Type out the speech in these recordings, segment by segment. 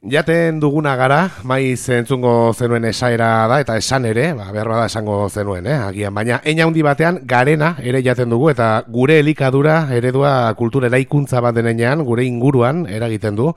Jaten duguna gara, maiz entzungo zenuen esaera da, eta esan ere, behar bada esango zenuen, agian. Baina, eina handi batean, garena ere jaten dugu, eta gure elikadura eredua kultura eraikuntza bat denean, gure inguruan eragiten du,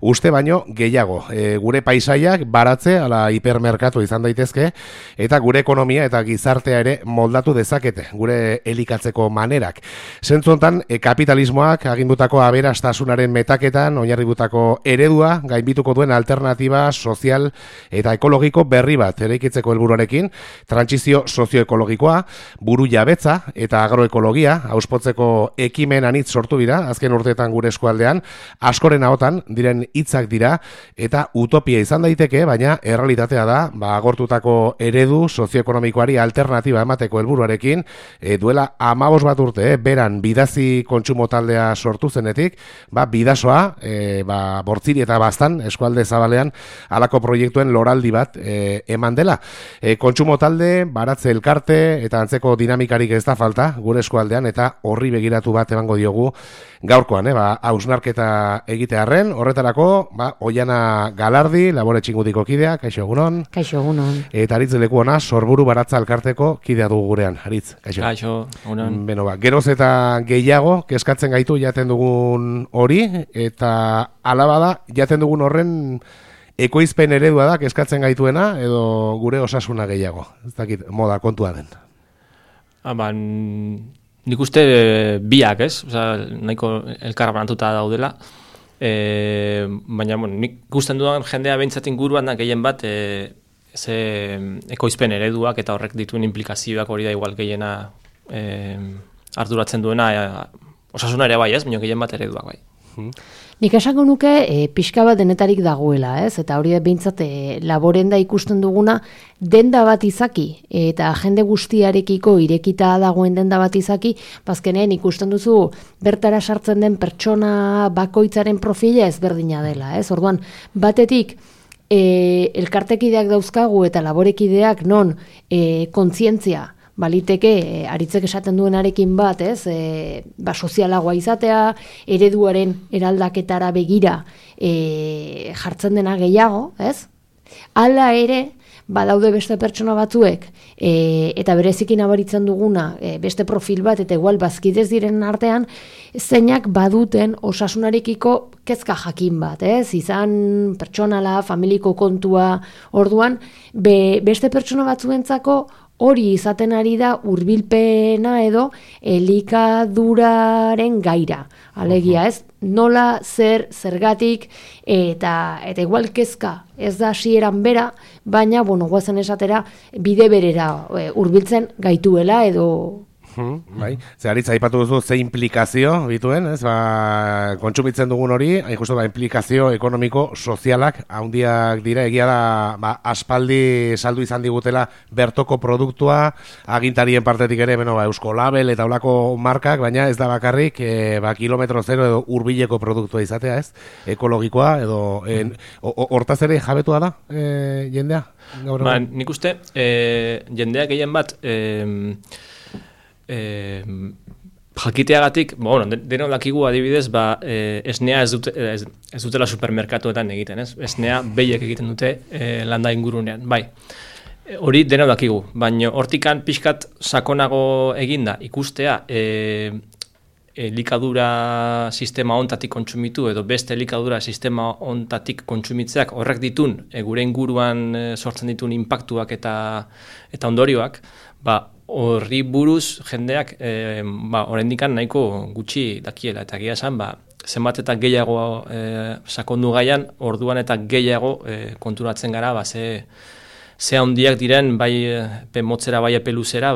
uste baino gehiago. Gure paisaiak baratze, ala hipermerkatu izan daitezke, eta gure ekonomia eta gizartea ere moldatu dezakete, gure elikatzeko manerak. Zentzu hontan, kapitalismoak agindutako aberastasunaren metaketan, oinarributako eredua, gainbituko duen alternatiba sozial eta ekologiko berri bat eraikitzeko helburuarekin, trantsizio sozioekologikoa, buru jabetza eta agroekologia auspotzeko ekimen anitz sortu dira azken urteetan gure eskualdean, askoren ahotan diren hitzak dira eta utopia izan daiteke, baina errealitatea da, agortutako eredu sozioekonomikoari alternatiba emateko helburuarekin, duela 15 bat urte, beran bidazi kontsumo taldea sortu zenetik, bidasoa, bortziri eta bastan eskualde zabalean halako proiektuen loraldi bat eman dela. Kontsumo talde, baratze elkarte eta antzeko dinamikarik ez da falta gure eskualdean eta horri begiratu bat emango diogu gaurkoan, hausnarketa egitearren, horretarako, Oiana Galardi, Labore Txingudiko kidea, kaixo egunon. Kaixo egunon. Eta Aritz leku ona, Sorburu Baratza elkarteko kidea dugu gurean. Aritz, kaixo. Kaixo egunon. Beno, geroz eta gehiago, kezkatzen gaitu jaten dugun hori, eta alabada jaten dugun horren ekoizpen eredua da, kezkatzen gaituena, edo gure osasuna gehiago. Ez dakit, moda kontua den. Nik uste biak, ez? Nahiko elkarra banatuta daudela. Baina, nik ikusten dudan jendea behintzat inguruan da gehien bat ze ekoizpen ereduak eta horrek dituen implikazioak hori da igual gehiena arduratzen duena osasuna ere bai, ez? Baina gehien bat ereduak bai. Nik esango nuke pixka bat denetarik dagoela, ez? Eta hori behintzat laboren da ikusten duguna denda bat izaki eta jende guztiarekiko irekita dagoen denda bat izaki, bazkenean ikusten duzu bertara sartzen den pertsona bakoitzaren profila ezberdina dela, ez? Orduan, batetik elkartekideak dauzkagu eta laborekideak non kontzientzia baliteke, aritzek esaten duenarekin bat, ez? Sozialagoa izatea, ereduaren eraldaketara begira jartzen dena gehiago, ez? Hala ere, badaude beste pertsona batzuek, eta berezikin abaritzen duguna, beste profil bat, eta igual bazkidez diren artean, zeinak baduten osasunarekiko kezka jakin bat, ez? Izan pertsonala, familiko kontua, orduan, beste pertsona batzuentzako hori izaten ari da hurbilpena edo elikaduraren gaira. Alegia, ez? Nola, zergatik, eta igual kezka ez da hasieran bera, baina, guazen esatera, bide berera hurbiltzen gaituela edo... Bai, Aritz aipatu duzu ze implikazio bituen, ez? Kontsumitzen dugun hori, hain justu implikazio ekonomiko sozialak handiak dira, egia da aspaldi saldu izan digutela bertoko produktua, agintarien partetik ere, Eusko Label eta olako markak, baina ez da bakarrik kilometro zero edo hurbileko produktua izatea, ez? Ekologikoa edo hortaz ere jabetua da jendea? Nik uste jendea gehien bat jakiteagatik, denok dakigu adibidez, esnea ez dutela supermerkatuetan egiten, ez? Esnea behiek egiten dute landa ingurunean, bai. Hori denok dakigu, baina hortikan pixkat sakonago eginda ikustea elikadura sistema ontatik kontsumitu edo beste elikadura sistema ontatik kontsumitzeak horrek ditun gure inguruan sortzen ditun inpaktuak eta ondorioak, horri buruz jendeak oraindikan nahiko gutxi dakiela eta egia esan zenbat eta gehiago sakondu gaian orduan eta gehiago konturatzen gara ze handiak diren bai epe motzera bai epe luzera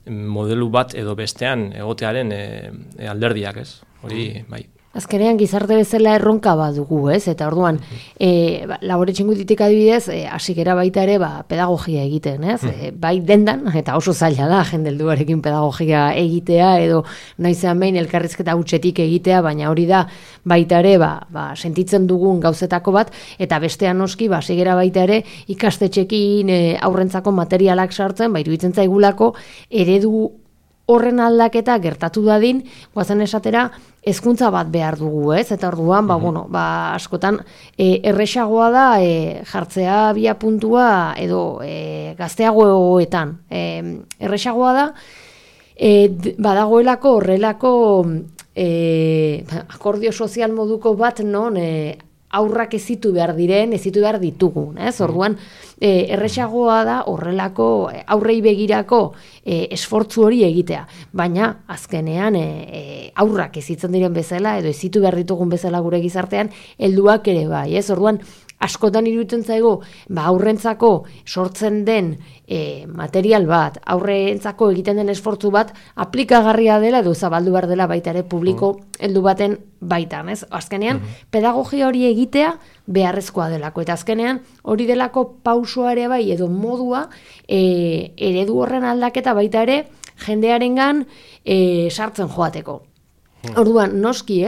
modelu bat edo bestean egotearen alderdiak, ez? Hori bai. Azkenean gizarte bezala erronka badugu, ez? Eta orduan, Labore Txingudititik adibidez, hasikera baita ere pedagogia egiten, ez? Bai dendan, eta oso zaila da jende helduarekin pedagogia egitea, edo noizean behin elkarrizketa hutsetik egitea, baina hori da baita ere sentitzen dugun gauzetako bat, eta bestean noski, hasikera baita ere ikastetxekin aurrentzako materialak sartzen, iruditzen zaigulako eredu horren aldaketa gertatu dadin, guazen esatera, hezkuntza bat behar dugu, ez? Eta orduan, askotan erresagoa da jartzea bia puntua edo gazteagoetan. Erresagoa da, badagoelako horrelako akordio sozial moduko bat non aurrak ezitu behar ditugun, ez? Orduan, erresagoa da horrelako aurrei begirako esfortzu hori egitea. Baina, azkenean, aurrak ezitzen diren bezala, edo ezitu behar ditugun bezala gure gizartean, helduak ere bai, ez? Orduan, askotan iruditzen zaigu, aurrentzako sortzen den material bat, aurrentzako egiten den esfortzu bat, aplikagarria dela edo zabaldu behar dela baita ere publiko heldu baten baitan, ez? Azkenean, pedagogia hori egitea beharrezkoa delako, eta azkenean hori delako pausoa ere bai edo modua eredu horren aldaketa baita ere jendearengan sartzen joateko. Orduan, noski,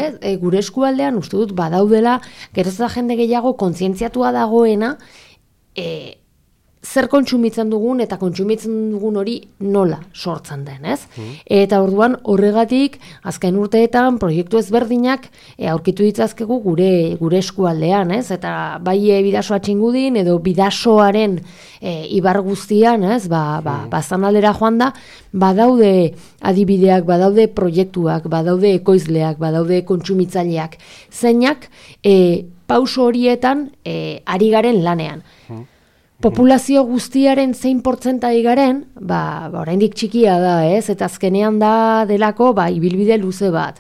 gure eskualdean uste dut badaudela, geroz da jende gehiago kontzientziatua dagoena, zer kontsumitzen dugun eta kontsumitzen dugun hori nola sortzen den, ez? Eta orduan horregatik azken urteetan proiektu ezberdinak aurkitu ditzazkegu gure eskualdean, ez? Eta bai Bidasoa Txingudin edo Bidasoaren ibar guztian, ez? Baztanaldera joan da, badaude adibideak, badaude proiektuak, badaude ekoizleak, badaude kontsumitzaileak, zeinak pauso horietan ari garen lanean. Populazio guztiaren zein portzentai garen, oraindik txikia da, ez? Eta azkenean da delako, ibilbide luze bat.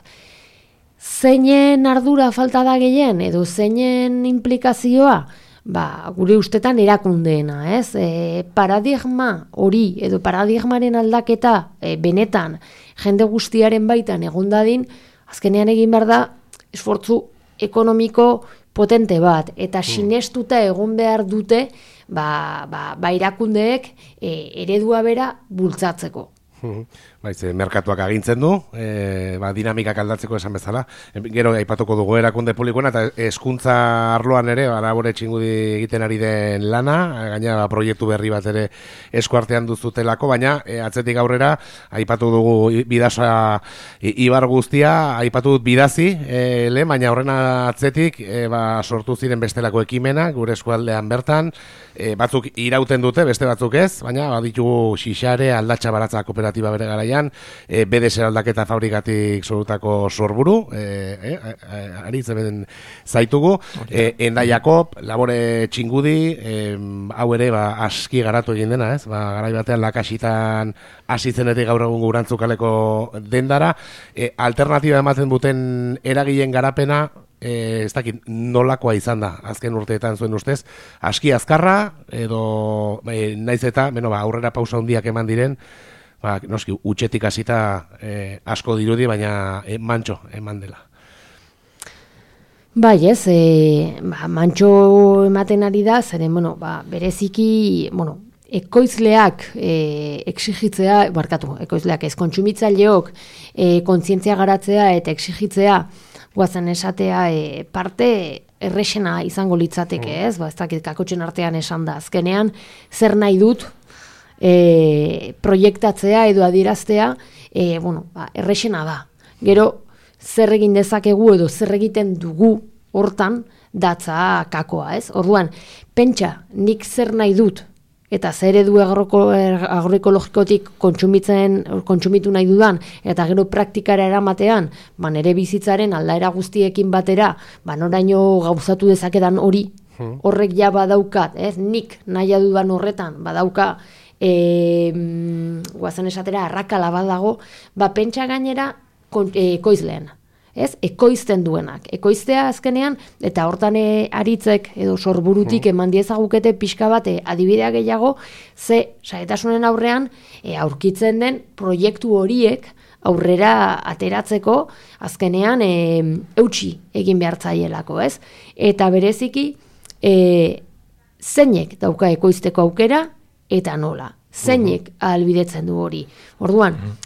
Zeinen ardura falta da gehien, edo zeinen implikazioa, gure ustetan erakundeena, ez? Paradigma hori, edo paradigmaren aldaketa benetan jende guztiaren baitan egon dadin, azkenean egin behar da esfortzu ekonomiko potente bat, eta sinestuta egon behar dute erakundeek eredua bera bultzatzeko. Merkatuak agintzen du, dinamikak aldatzeko esan bezala. Gero aipatuko dugu erakunde publikoena eta hezkuntza arloan ere, Labore Txingudi egiten ari den lana, gaina proiektu berri bat ere eskuartean duzutelako, baina atzetik aurrera aipatu dugu Bidasoa ibar guztia, aipatu dut Bidazi, baina horren atzetik sortu ziren bestelako ekimena, gure eskualdean bertan, batzuk irauten dute, beste batzuk ez, baina baditugu Xixare, Aldatxa Baratza kooperatiba bere garaian, BDS aldaketa fabrikatik sorutako sorburu, ari zeben zaitugu, Enda Jakob, Labore Txingudi, hau ere aski garatu egin dena, ez? Garai batean Lakasitan hasitzenetik gaur egun Gurantzukaleko dendara, alternatiba ematen duten eragileen garapena, ez dakit nolakoa izan da azken urteetan zuen ustez, aski azkarra edo naiz eta aurrera pausa handiak eman diren, noski utxetik hasita asko dirudi, baina mantxo eman dela. Bai, ez, mantxo ematen ari da, zeren, bereziki, ekoizleak exigitzea, ekoizleak ez, kontsumitzaileok kontzientzia garatzea eta exigitzea, guazen esatea parte errexena izango litzateke, ez? Ez dakit kakotxen artean esan da. Azkenean, zer nahi dut proiektatzea edo adieraztea, errexena da. Gero, zer egin dezakegu edo zer egiten dugu hortan datza kakoa, ez? Orduan, pentsa, nik zer nahi dut, eta zer edu agroekologikotik kontsumitu nahi dudan, eta gero praktikara eramatean, nere bizitzaren aldaera guztiekin batera, noraino gauzatu dezakedan hori, horrek ja badaukat, nik nahi dudan horretan, badauka, guazen esatera, arrakala badago, pentsa gainera ekoizleen. Ekoizten duenak. Ekoiztea azkenean, eta hortan aritzek edo sorburutik eman diezagukete pixka bat adibidea gehiago, saetasunen aurrean aurkitzen den proiektu horiek aurrera ateratzeko azkenean eutsi egin behar zaielako, ez? Eta bereziki, zeinek dauka ekoizteko aukera eta nola. Zeinek ahalbidetzen du hori. Orduan,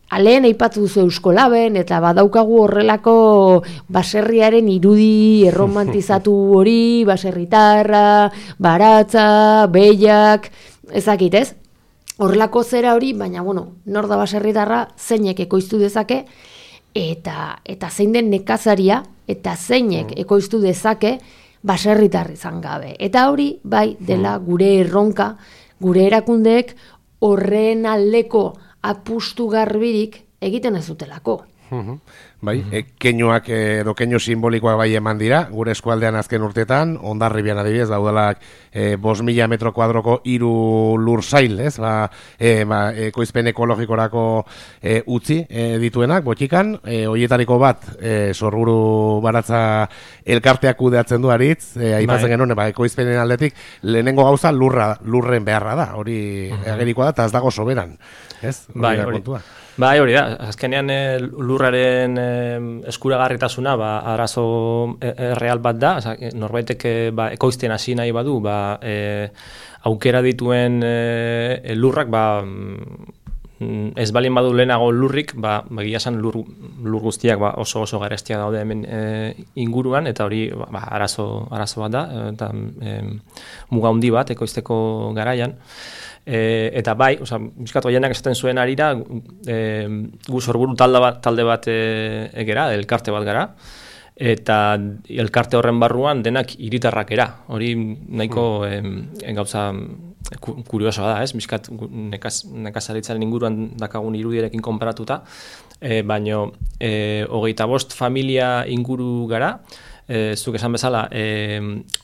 Aleen aipatu duzu Euskolaben, eta badaukagu horrelako baserriaren irudi erromantizatu hori, baserritarra, baratza, behiak, ezakit ez? horrelako zera hori, baina, nor da baserritarra zeinek ekoiztu dezake, eta zein den nekazaria, eta zeinek ekoiztu dezake baserritar izan gabe. Eta hori, bai, dela gure erronka, gure erakundeek horren aldeko apustu garbirik egiten ez dutelako. Bai, keinuak edo keinu simbolikoak bai eman dira, gure eskualdean azken urteetan, Hondarribian adibidez, daudalak 5.000 metro kuadroko 3 lursail, ez? Ekoizpen ekologikorako utzi dituenak, botikan, hoietariko bat, Sorburu Baratza elkarteak kudeatzen du aritz, aipatzen genuen, ekoizpenen aldetik, lehenengo gauza lurren beharra da, hori agerikoa da, eta ez dago soberan, ez? Bai, hori da, azkenean lurraren eskuragarritasuna arazo real bat da, norbaitek ekoizten hasi nahi badu, aukera dituen lurrak, ez balin badu lehenago lurrik, egia esan lur guztiak oso garestia daude hemen inguruan, eta hori arazo bat da, eta muga handi bat ekoizteko garaian. Eta bai, bizkat oienak esaten zuen arira, gu Sorburu talde bat egera, elkarte bat gara, eta elkarte horren barruan denak hiritarrak era. Hori nahiko gauza kuriosoa da, ez? Bizkat nekazaritzaren inguruan dakagun irudiarekin konparatuta, baino 25 familia inguru gara, zuk esan bezala,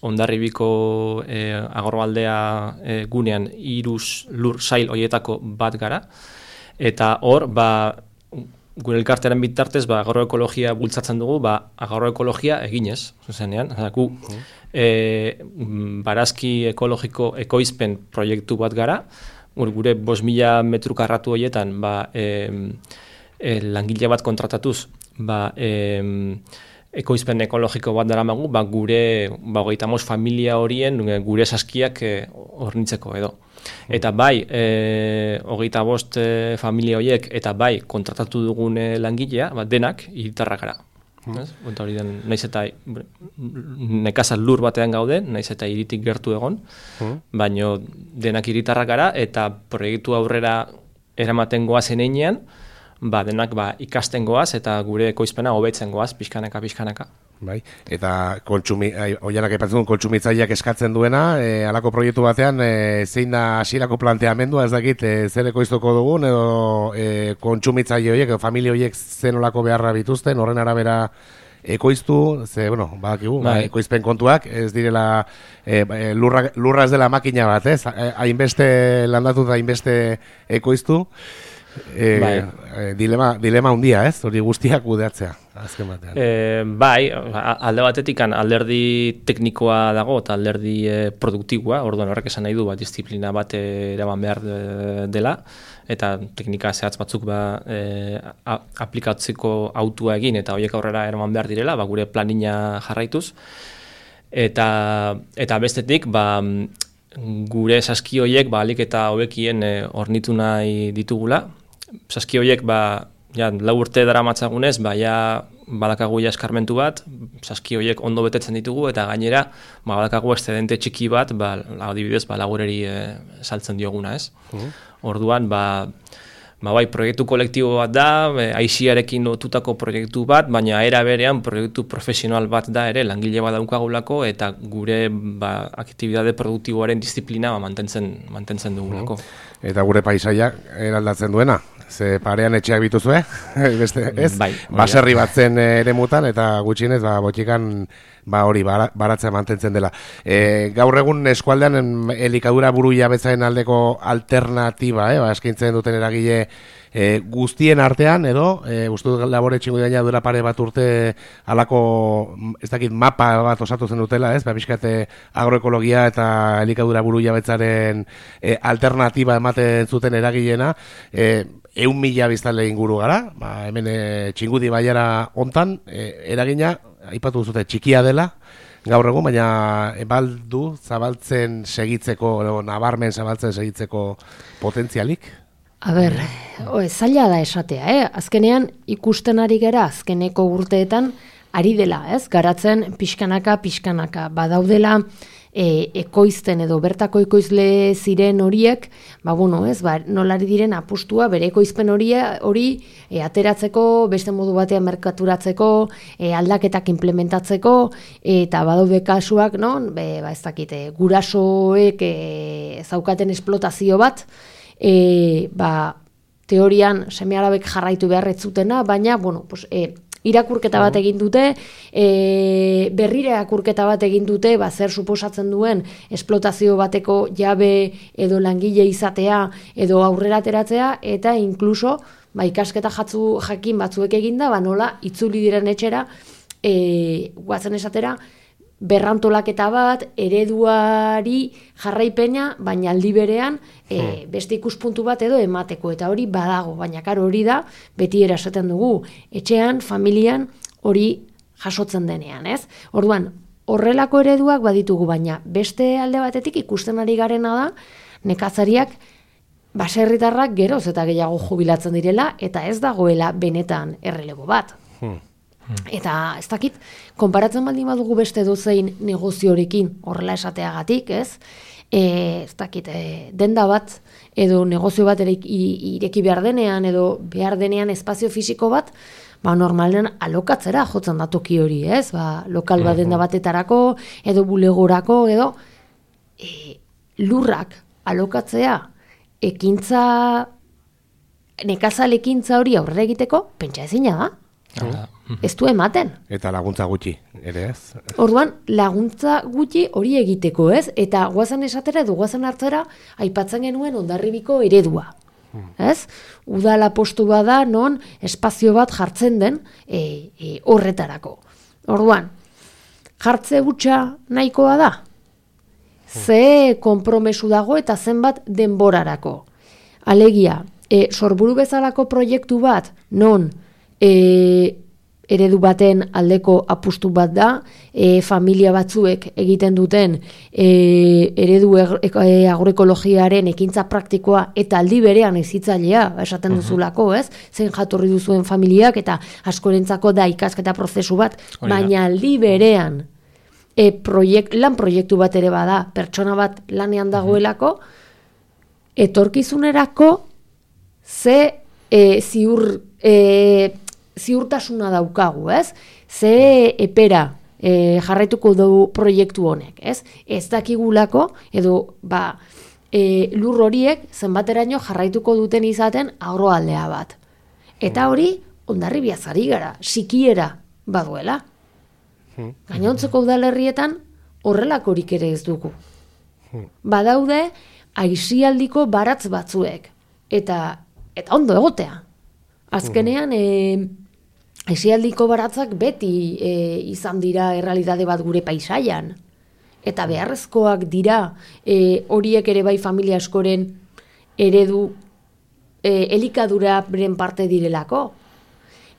Hondarribiko Agorrobaldea gunean 3 lur sail hoietako bat gara, eta hor, gure elkartearen bitartez, agroekologia bultzatzen dugu, agroekologia eginez, zuzenean, gu, barazki ekologiko ekoizpen proiektu bat gara, gure 5.000 metru karratu horietan, langile bat kontratatuz, ekoizpen ekologiko bat daramagu, gure 25 familia horien gure saskiak hornitzeko edo. Eta bai, 25 familia horiek eta bai kontratatu dugun langilea, denak hiritarrak gara. Hori den, naiz eta nekazal lur batean gaude, naiz eta hiritik gertu egon, baino denak hiritarrak gara eta proiektu aurrera eramaten goazen einean, denak ikasten goaz eta gure ekoizpena hobetzen goaz, pixkanaka. Bai, eta oianak aipatzen kontsumitzaileak eskatzen duena, halako proiektu batean, zein da hasierako planteamendua, ez dakit, zer ekoiztuko dugun, edo kontsumitzaile horiek, edo familia horiek zenolako beharra bituzten, horren arabera ekoiztu, badakigu, ekoizpen kontuak, ez direla, lurra ez dela makina bat, ez? Hainbeste landatu da hainbeste ekoiztu, dilema handia, ez? Hori guztiak kudeatzea, azken batean. Alde batetik alderdi teknikoa dago eta alderdi produktiboa, orduan horrek esan nahi du disiplina bat eraman behar dela, eta teknika zehatz batzuk aplikatzeko autua egin eta horiek aurrera eraman behar direla, gure planina jarraituz. Eta bestetik, gure saski horiek alik eta hobekien hornitu nahi ditugula. Saski horiek, 4 urte daramatzagunez, badakagu eskarmentu bat, saski horiek ondo betetzen ditugu, eta gainera, badakagu excedente txiki bat, adibidez, lagureri saltzen dioguna, ez? Orduan, proiektu kolektibo bat da, aixiarekin lotutako proiektu bat, baina era berean proiektu profesional bat da ere, langile bat daukagulako, eta gure aktibidade produktiboaren disiplina mantentzen dugulako. Eta gure paisaiak eraldatzen duena, ze parean etxeak bituzue, ez? Baserri batzen eremutan, eta gutxienez, botikan hori baratzea mantentzen dela. Gaur egun eskualdean elikadura buru jabetzaren aldeko alternatiba, eskaintzen duten eragile guztien artean, edo, uste labore txingu daina duela pare bat urte alako, ez dakit, mapa bat osatu zen dutela, ez? Bizkate agroekologia eta elikadura buru jabetzaren alternatiba ematen zuten eragileena, 100.000 biztanle inguru gara, hemen Txingudi baiara hontan, eragina, aipatu duzute, txikia dela, gaur egun, baina baldu zabaltzen segitzeko, nabarmen zabaltzen segitzeko potentzialik? Zaila da esatea, azkenean ikusten ari gara, azkeneko urteetan ari dela, garatzen pixkanaka, badaudela ekoizten edo bertako ekoizle ziren horiek, nolari diren apustua bere ekoizpen hori ateratzeko, beste modu batean merkaturatzeko, aldaketak implementatzeko, eta badaude kasuak, non, ez dakite, gurasoek zaukaten esplotazio bat, teorian seme-alabek jarraitu beharret zutena, baina, irakurketa bat egin dute, berrira irakurketa bat egin dute, zer suposatzen duen esplotazio bateko jabe edo langile izatea edo aurrera ateratzea, eta inkluso ikasketa jakin batzuek eginda, nola itzuli diren etxera, guazen esatera, berrantolaketa bat, ereduari jarraipena, baina aldi berean beste ikuspuntu bat edo emateko, eta hori badago, baina karo hori da, beti erasaten dugu, etxean, familian, hori jasotzen denean, ez? Orduan, horrelako ereduak baditugu, baina beste alde batetik ikusten ari garena da, nekazariak, baserritarrak geroz eta gehiago jubilatzen direla, eta ez dagoela benetan errelebo bat. Eta ez dakit, konparatzen baldin badugu beste dozein negoziorekin horrela esateagatik, ez? Ez dakit, denda bat edo negozio bat ireki behar denean edo behar denean espazio fisiko bat, normalen alokatzera jotzen da toki hori, ez? Lokal bat denda batetarako edo bulegorako edo lurrak alokatzea nekazal ekintza hori aurrera egiteko, pentsa ezina da. Ez du ematen. Eta laguntza gutxi, ere ez? Orduan, laguntza gutxi hori egiteko, ez? Eta guazen esatera edo guazen hartzera aipatzen genuen Hondarribiko eredua. Ez? Udala postu bada non espazio bat jartzen den horretarako. Orduan, jartze hutsa nahikoa da? Ze konpromesu dago eta zenbat denborarako. Alegia, Sorburu bezalako proiektu bat non eredu baten aldeko apustu bat da, familia batzuek egiten duten eredu agroekologiaren ekintza praktikoa eta aldi berean ezitzailea, esaten duzulako, ez? Zein jatorri duzuen familiak eta askorentzako da ikasketa prozesu bat, baina aldi berean lan proiektu bat ere bada, pertsona bat lanean dagoelako, etorkizunerako ze ziurtasuna daukagu, ez? Ze epera jarraituko dugu proiektu honek, ez? Ez dakigulako, edo lur horiek zenbateraino jarraituko duten izaten agroaldea bat. Eta hori, Hondarribiaz ari gara, sikiera baduela. Gainontzeko udalerrietan horrelakorik ere ez dugu. Badaude, aisialdiko baratz batzuek. Eta ondo egotea. Azkenean, aisialdiko baratzak beti izan dira errealitate bat gure paisaian. Eta beharrezkoak dira horiek ere bai familia askoren eredu elikaduraren parte direlako.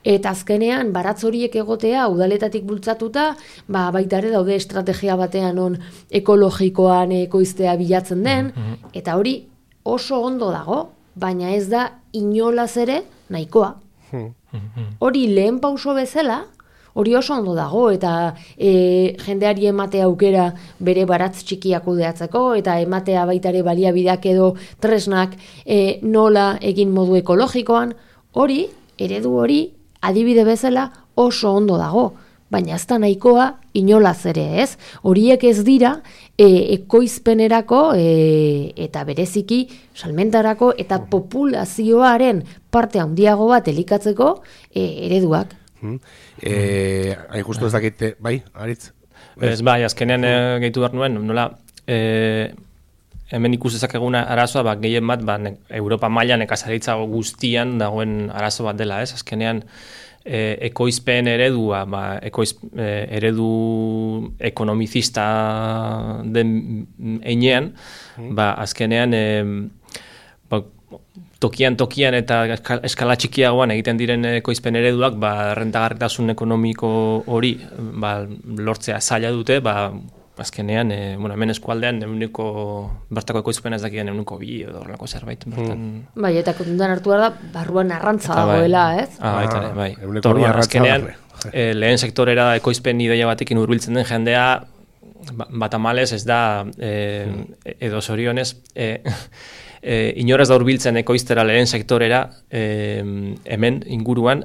Eta azkenean, baratz horiek egotea, udaletatik bultzatuta, baita ere daude estrategia batean on ekologikoan ekoiztea bilatzen den, eta hori oso ondo dago, baina ez da inolaz ere nahikoa. Hori lehen pauso bezala, hori oso ondo dago, eta jendeari emate aukera bere baratz txikiak kudeatzeko, eta ematea baita ere baliabideak edo tresnak nola egin modu ekologikoan, hori, eredu hori, adibide bezala oso ondo dago, baina ez da nahikoa inolaz ere, ez? Horiek ez dira ekoizpenerako eta bereziki salmentarako eta populazioaren parte handiago bat elikatzeko ereduak. Hain justu ez dakit, bai, Aritz? Ez bai, azkenean gehitu behar nuen, nola hemen ikus dezakeguna arazoa, gehien bat, Europa mailan nekazaritza guztian dagoen arazo bat dela, ez? Azkenean, ekoizpen eredua, eredu ekonomizista den einean, azkenean, tokian eta eskala txikiagoan egiten diren ekoizpen ereduak, rentagarritasun ekonomiko hori lortzea zaila dute, azkenean, hemen eskualdean bertako ekoizpen ez dakien 2 edo horrelako zerbait. Bai, eta kontutan hartu da, barruan arrantza dagoela, ez? Bai. Azkenean, lehen sektorera ekoizpen ideia batekin hurbiltzen den jendea, Batamales ez da, edo zorionez, inorez da hurbiltzen ekoiztera lehen sektorera, hemen inguruan,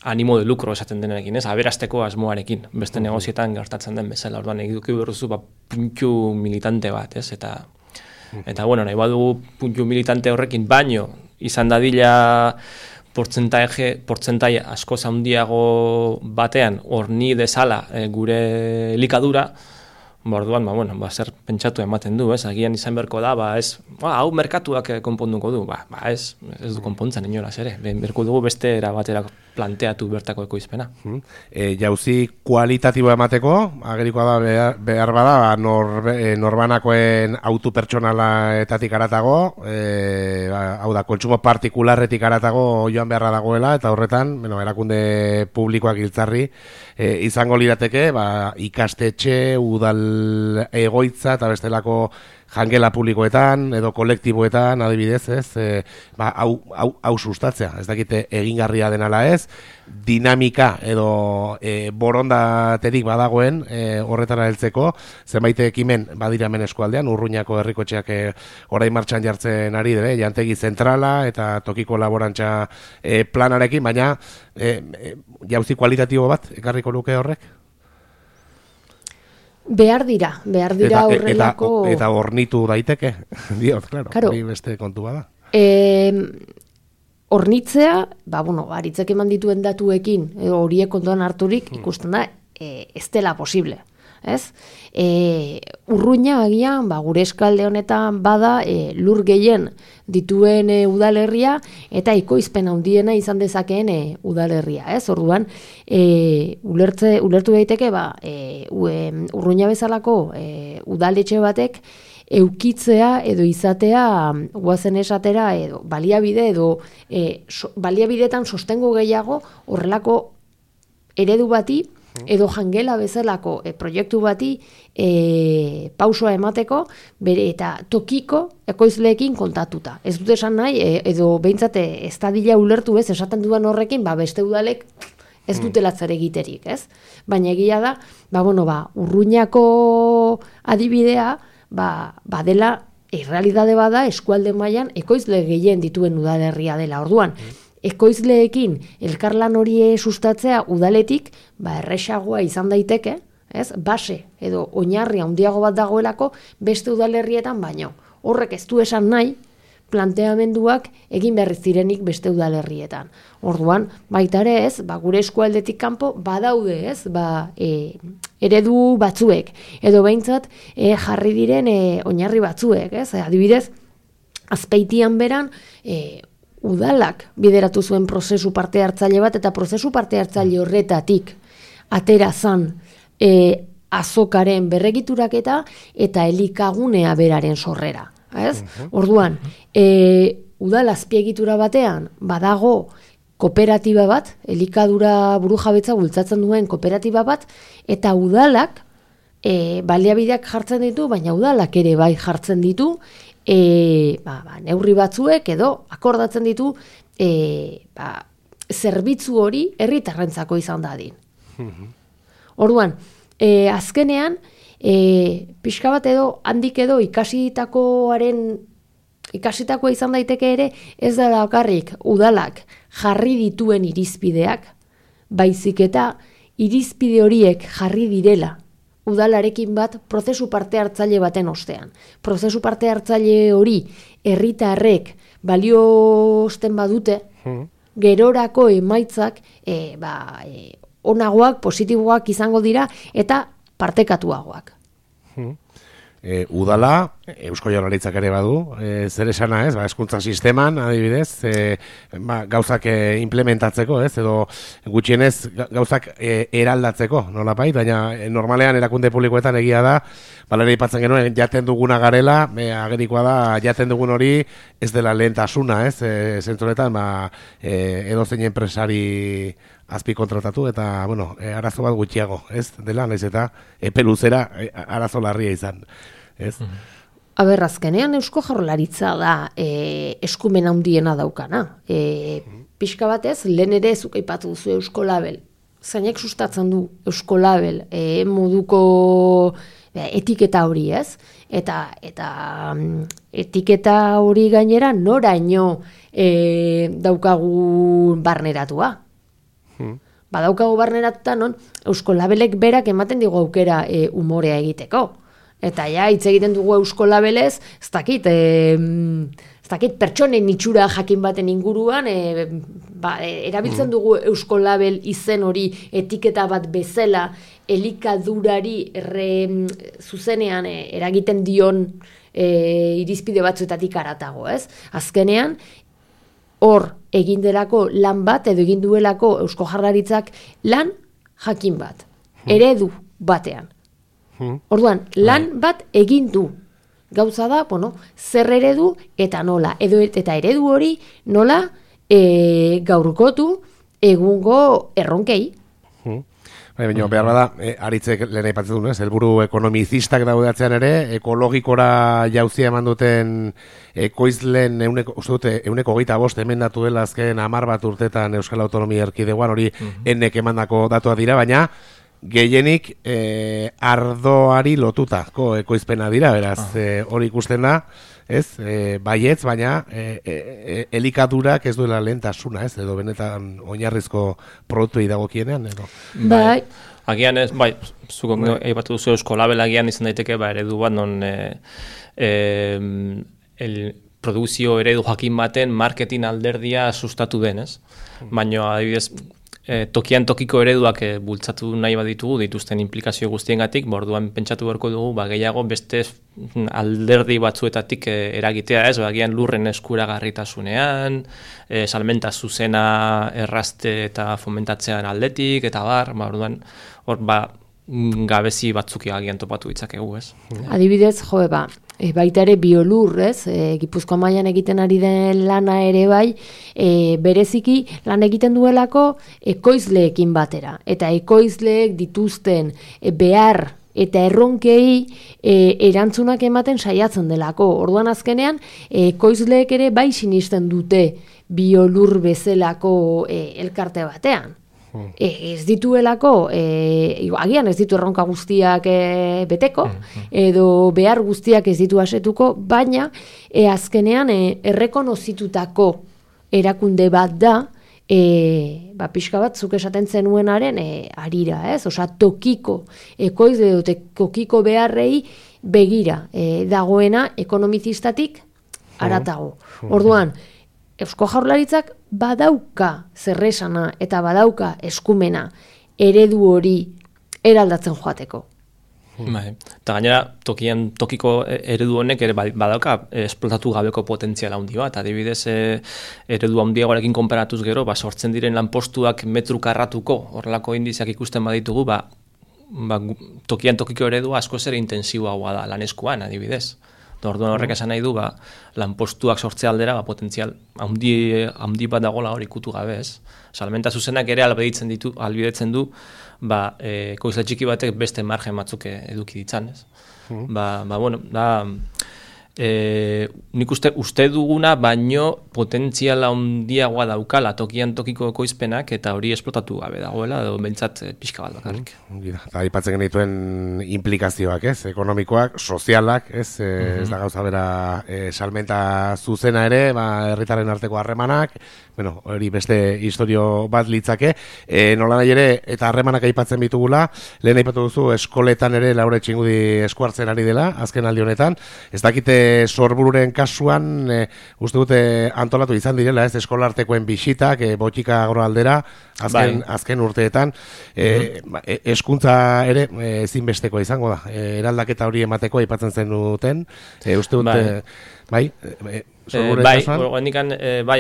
animo de lucro esaten denekin, ez? Aberasteko asmoarekin, beste negozietan gertatzen den bezala, orduan eduki berruzu puntu militante bat, ez? Eta bueno, nahi badugu puntu militante horrekin baino, izan dadila portzentai asko handiago batean horni dezala gure elikadura, orduan, zer pentsatu ematen du, ez? Agian izan berko da, hau merkatuak konponduko du, ez du konpontzen inolaz ere, berko dugu beste era batera planteatu bertako ekoizpena. Jauzi kualitatiboa emateko, agerikoa da behar bada, norbanakoen autu pertsonalaetatik aratago, hau da, kontsumo partikularretik aratago joan beharra dagoela, eta horretan, erakunde publikoak giltzarri, izango lirateke, ikastetxe, udal egoitza eta bestelako jangela publikoetan edo kolektiboetan adibidez, ez? Hau sustatzea, ez dakite egingarria denala ez, dinamika edo borondaterik badagoen horretara heltzeko, zenbait ekimen badira hemen eskualdean, Urruñako herrikotxeak orain martxan jartzen ari dire, jantegi zentrala eta tokiko laborantza planarekin, baina jauzi kualitatibo bat ekarriko luke horrek? Behar dira horrelako... Eta hornitu daiteke, diot, claro, hori beste kontu bada. Hornitzea, aritzek eman dituen datuekin, horiek kontuan harturik, ikusten da, ez dela posible. Ez? Urruña agian, gure eskalde honetan bada lur gehien dituen udalerria eta ekoizpen handiena izan dezakeen udalerria, ez? Orduan, ulertu daiteke Urruña bezalako udaletxe batek eukitzea edo izatea guazen esatera edo baliabide edo baliabideetan sostengo gehiago horrelako eredu bati edo jangela bezalako proiektu bati pausoa emateko bere eta tokiko ekoizleekin kontatuta. Ez dut esan nahi, edo behintzat ez dadila ulertu ez, esaten duan horrekin, beste udalek ez dutela zer egiterik, ez? Baina egia da, Urruñako adibidea, badela, errealitate bada eskualde mailan ekoizle gehien dituen udalerria dela. Orduan, ekoizleekin elkarlan hori sustatzea udaletik, erresagoa izan daiteke, ez? Base edo oinarri handiago bat dagoelako beste udalerrietan baino. Horrek ez du esan nahi planteamenduak egin berriz direnik beste udalerrietan. Orduan, baita ere ez, gure eskualdetik kanpo badaude, ez? Eredu batzuek edo behintzat jarri diren oinarri batzuek, ez? Adibidez, Azpeitian beran udalak bideratu zuen prozesu parte hartzaile bat, eta prozesu parte hartzaile horretatik atera zan azokaren berregituraketa eta elikagunea beraren sorrera. Ez? Orduan, udal azpiegitura batean badago kooperatiba bat, elikadura burujabetza bultzatzen duen kooperatiba bat, eta udalak baliabideak jartzen ditu, baina udalak ere bai jartzen ditu, neurri batzuek edo akordatzen ditu zerbitzu hori herritarrentzako izan dadin. Orduan, azkenean pixka bat edo handik edo ikasitakoa izan daiteke ere, ez da bakarrik udalak jarri dituen irizpideak, baizik eta irizpide horiek jarri direla udalarekin bat prozesu parte hartzaile baten ostean. Prozesu parte hartzaile hori herritarrek baliosten badute, gerorako emaitzak onagoak, positiboak izango dira eta partekatuagoak. Udala, Eusko Jaurlaritzak ere badu, zer esana ez, hezkuntza sisteman, adibidez, gauzak implementatzeko, ez, edo gutxienez gauzak eraldatzeko, nolapait, baina normalean erakunde publikoetan egia da, balera ipatzen genuen, jaten duguna garela, agerikoa da, jaten dugun hori ez dela lehentasuna, ez, zentzuretan, edo zein enpresari azpi kontratatu, eta, arazo bat gutxiago, ez, dela, naiz eta epe luzera arazo larria izan, ez? Azkenean Eusko Jaurlaritza da eskumen handiena daukana. Pixka batez, lehen ere zuk aipatu duzu Eusko Label. zeinek sustatzen du Euskolabel moduko etiketa hori, ez? Eta etiketa hori gainera noraino daukagu barneratua. Badaukagu barneratuta non Euskolabelek berak ematen digu aukera umorea egiteko. Eta ja, hitz egiten dugu Euskolabelez, ez dakit pertsonen itxura jakin baten inguruan, erabiltzen dugu Euskolabel izen hori etiketa bat bezala, elikadurari zuzenean eragiten dion irizpide batzuetatik haratago, ez? Azkenean, hor egin delako lan bat, edo egin duelako Eusko Jaurlaritzak lan jakin bat, eredu batean. Orduan, lan bat egin du. Gauza da, zer eredu eta nola. Eta eredu hori nola gaurkotu egungo erronkei. Baina, behar bada, aritzek lehen aipatzen duen, helburu ekonomizistak daudeatzean ere, ekologikora jauzia eman duten ekoizlen euneko 25 emendatu dela azken 10 bat urtetan Euskal Autonomia Erkidegoan, hori enek emandako datuak dira, baina gehienik ardoari lotutako ekoizpena dira, beraz, hori ikusten da, ez, baietz, baina elikadurak ez duela lehentasuna, ez, edo benetan oinarrizko produktuei dagokienean, edo. Bai. Agian ez, bai, zuko aipatu duzu Euskolabel agian izan daiteke, eredu bat non produkzio eredu jakin baten marketing alderdia sustatu den, ez? Baina, adibidez, tokian tokiko ereduak bultzatu nahi baditugu dituzten implikazio guztiengatik, orduan pentsatu beharko dugu gehiago beste alderdi batzuetatik eragitea, ez, agian lurren eskuragarritasunean, salmenta zuzena errazte eta fomentatzean aldetik, eta orduan hor gabezi batzuk agian topatu ditzakegu, ez? Adibidez, baita ere biolur, ez? Gipuzkoa mailan egiten ari den lana ere bai, bereziki lan egiten duelako ekoizleekin batera. Eta ekoizleek dituzten behar eta erronkei erantzunak ematen saiatzen delako. Orduan azkenean, ekoizleek ere bai sinisten dute biolur bezalako elkarte batean. Ez dituelako, agian ez ditu erronka guztiak beteko, edo behar guztiak ez ditu asetuko, baina azkenean errekonozitutako erakunde bat da, pixka bat zuk esaten zenuenaren arira, ez? Osa tokiko, ekoizle dute tokiko beharrei begira dagoena ekonomizistatik haratago. Orduan, Eusko Jaurlaritzak badauka zerresana eta badauka eskumena eredu hori eraldatzen joateko. Eta gainera, tokiko eredu honek ere badauka esplotatu gabeko potentziala handi bat. Adibidez, eredu handiagoarekin konparatuz gero, sortzen diren lanpostuak metru karratuko horrelako indiziak ikusten baditugu, tokian tokiko eredu askoz ere intensiboagoa da laneskuan, adibidez. Orduan horrek esan nahi du, lanpostuak sortze aldera, potentzial handi bat dagoela hori ikutu gabe, ez? Salmenta zuzenak ere albidetzen du, ekoizle txiki batek beste margen batzuk eduki ditzan, ez? Nik uste duguna, baino potentziala handiagoa daukala tokian tokiko ekoizpenak, eta hori esplotatu gabe dagoela, edo bentsat pixka bat bakarrik. Eta aipatzen genituen implikazioak, ez? Ekonomikoak, sozialak, ez? Ez da gauza bera salmenta zuzena ere, herritarren arteko harremanak, hori beste historio bat litzake, nola nahi ere, eta harremanak aipatzen bitugula, lehen aipatu duzu eskoletan ere Laura Txingudi eskuartzen ari dela, azken aldi honetan, ez dakite Sorbururen kasuan, uste dute antolatu izan direla, ez eskolartekoen bisitak, botika agroaldera, azken urteetan, eskuntza ere ezinbesteko izango da, eraldaketa hori emateko aipatzen zen duten, uste dute,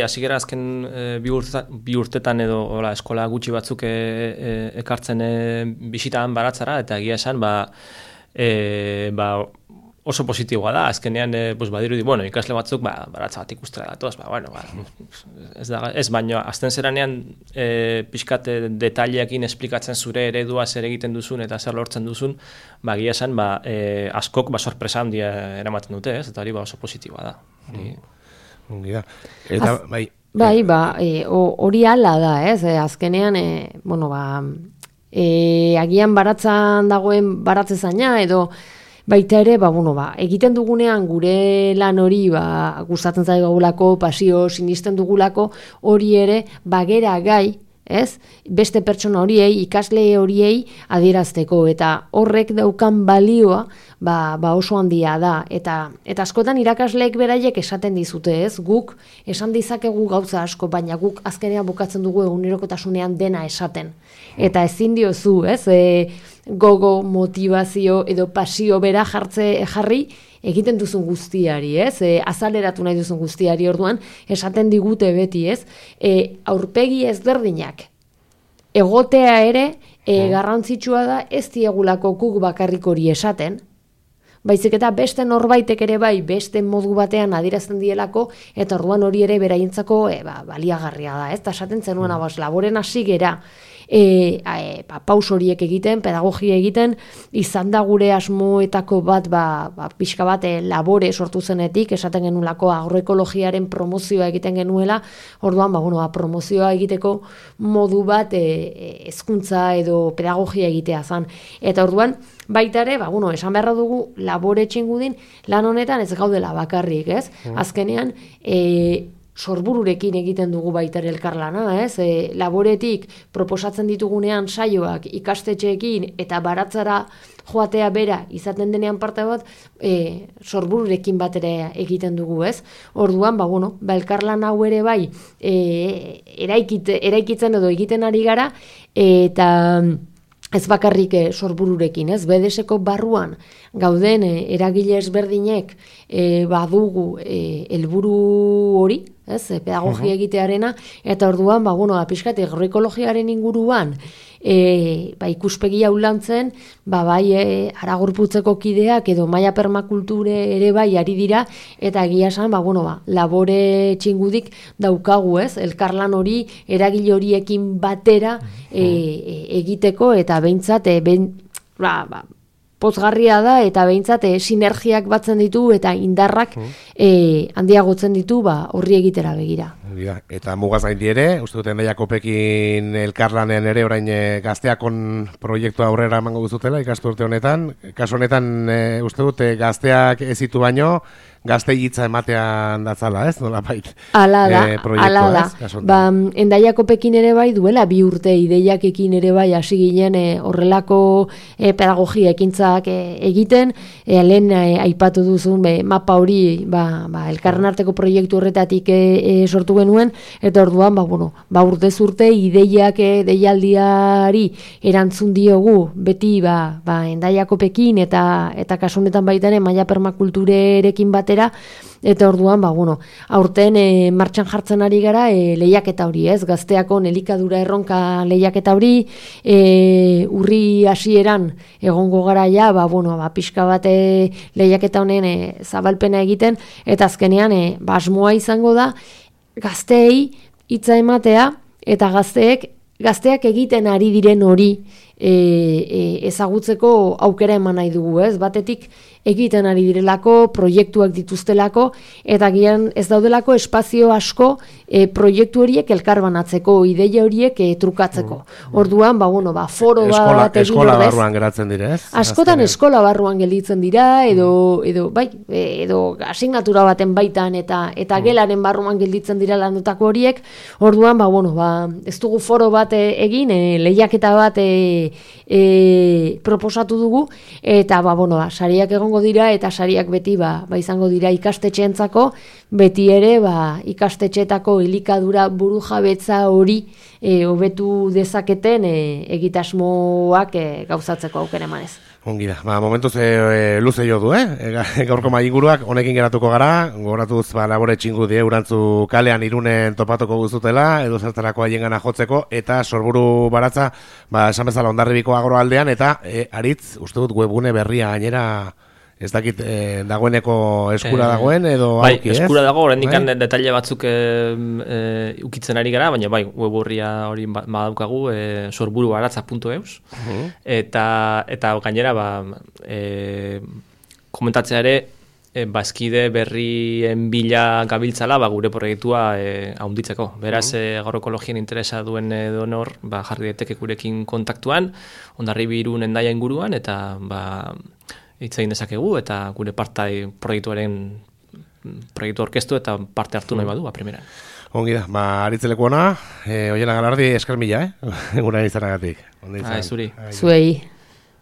azigera azken bi urtetan edo eskola gutxi batzuk ekartzen bisitaan baratzara, eta egia esan, oso positiboa da, azkenean badirudi, ikasle batzuk baratza bat ikustera datoz, ez baino, azten zeranean pixkat detaileekin esplikatzen zure eredua zer egiten duzun eta zer lortzen duzun, egia esan askok sorpresa handia eramaten dute, ez, eta hori oso positiboa da. Ongi da. Eta, hori ala da, ez, azkenean, agian baratzan dagoen baratzezaina edo baita ere, egiten dugunean gure lan hori, gustatzen zaigulako, pasio, sinisten dugulako, hori ere, bagera gai, ez? Beste pertsona horiei, ikasle horiei adierazteko, eta horrek daukan balioa, oso handia da, eta askotan irakasleek beraiek esaten dizute, ez? Guk esan dizakegu gauza asko, baina guk azkenean bukatzen dugu egunerokotasunean dena esaten. Eta ezin diozu, ez? Gogo, motivazio edo pasio bera jarri egiten duzun guztiari, ez? Azaleratu nahi duzun guztiari, orduan esaten digute beti, ez? Aurpegi ezberdinak egotea ere garrantzitsua da, ez diegulako guk bakarrik hori esaten, baizik eta beste norbaitek ere bai, beste modu batean adierazten dielako, eta orduan hori ere beraientzako baliagarria da, ez? Ta esaten zenuen laboren hasi gera, paus horiek egiten, pedagogia egiten, izan da gure asmoetako bat, pixka bat labore sortu zenetik, esaten genulako agroekologiaren promozioa egiten genuela, orduan, promozioa egiteko modu bat hezkuntza edo pedagogia egitea zan. Eta orduan, baita ere, esan beharra dugu labore txingudin, lan honetan ez gaudela bakarrik, ez? Azkenean, sorbururekin egiten dugu baita ere elkarlana, ez? Laboretik proposatzen ditugunean saioak ikastetxeekin eta baratzara joatea bera izaten denean parte bat, sorbururekin bat ere egiten dugu, ez? Orduan, elkarlan hau ere bai eraikitzen edo egiten ari gara, eta ez bakarrik sorbururekin, ez? BDS-ko barruan gauden eragile ezberdinek badugu helburu hori, ez? Pedagogia egitearena, eta orduan, pixkat agroekologiaren inguruan ikuspegi hau lantzen, bai Aragorputzeko kideak edo Maia Permakulture ere bai ari dira, eta egia esan, labore txingudik daukagu, ez? Elkarlan hori eragile horiekin batera egiteko, eta behintzat pozgarria da, eta behintzat sinergiak batzen ditu eta indarrak handiagotzen ditu horri egitera begira. Eta mugaz gaindi ere, uste duten Jakobpekin elkarlanean ere orain gazteakon proiektua aurrera emango duzutela ikasturte honetan. Kasu honetan uste dute gazteak ezitu baino, gazte hitza ematean datzala, ez? Nola bait? Ala da. Endaiakopekin ere bai duela 2 urte ideiakekin ere bai hasi ginen horrelako pedagogia ekintzak egiten, lehen aipatu duzun mapa hori elkarren arteko proiektu horretatik sortu genuen, eta orduan urtez urte ideiak deialdiari erantzun diogu beti Endaiakopekin eta kasu honetan baita Maia Permakulturerekin batera, eta orduan, aurten martxan jartzen ari gara lehiaketa hori, ez? Gazteako elikadura erronka lehiaketa hori, urri hasieran egongo gara ja, pixka bat lehiaketa honen zabalpena egiten, eta azkenean, asmoa izango da, gazteei hitza ematea, eta gazteak egiten ari diren hori ezagutzeko aukera eman nahi dugu, ez? Batetik egiten ari direlako, proiektuak dituztelako, eta gian ez daudelako espazio asko proiektu horiek elkarbanatzeko, ideia horiek trukatzeko. Orduan, foro bat egin eskola barruan geratzen dira, ez? Askotan eskola barruan gelditzen dira, edo asignatura baten baitan, eta gelaren barruan gelditzen dira landutako horiek. Orduan, ez dugu foro bat egin, lehiaketa bat proposatu dugu, eta sariak egongo dira, eta sariak beti izango dira ikastetxeentzako, beti ere ikastetxeetako elikadura burujabetza hori hobetu dezaketen egitasmoak gauzatzeko aukera emanez. Ongi da, momentuz luze jo du, gaurko maiguruak honekin geratuko gara, goratuz labore txingudi urantzu kalean Irunen topatuko guztutela, edo zertarako haien gana jotzeko, eta sorburu baratza, esan bezala Hondarribiko agroaldean, eta aritz, uste dut webgune berria gainera, ez dakit dagoeneko eskura dagoen, edo auki, ez? Bai, eskura dago, horrendikan detaile batzuk ukitzen ari gara, baina weburria hori badaukagu, sorburubaratza.eus, eta gainera, komentatzea ere, bazkide berrien bila gabiltzala gure proiektua haunditzeko. Beraz, agroekologien interesa duen donor jarri daiteke gurekin kontaktuan, Hondarribi Irun Hendaia inguruan, eta hitz egin dezakegu, eta gure proiektu orkestu eta parte hartu nahi badu, primeran. Ongi da, aritzeleko ona, Oiana Galardi esker mila, gura izanagatik. Zuri. Zuei.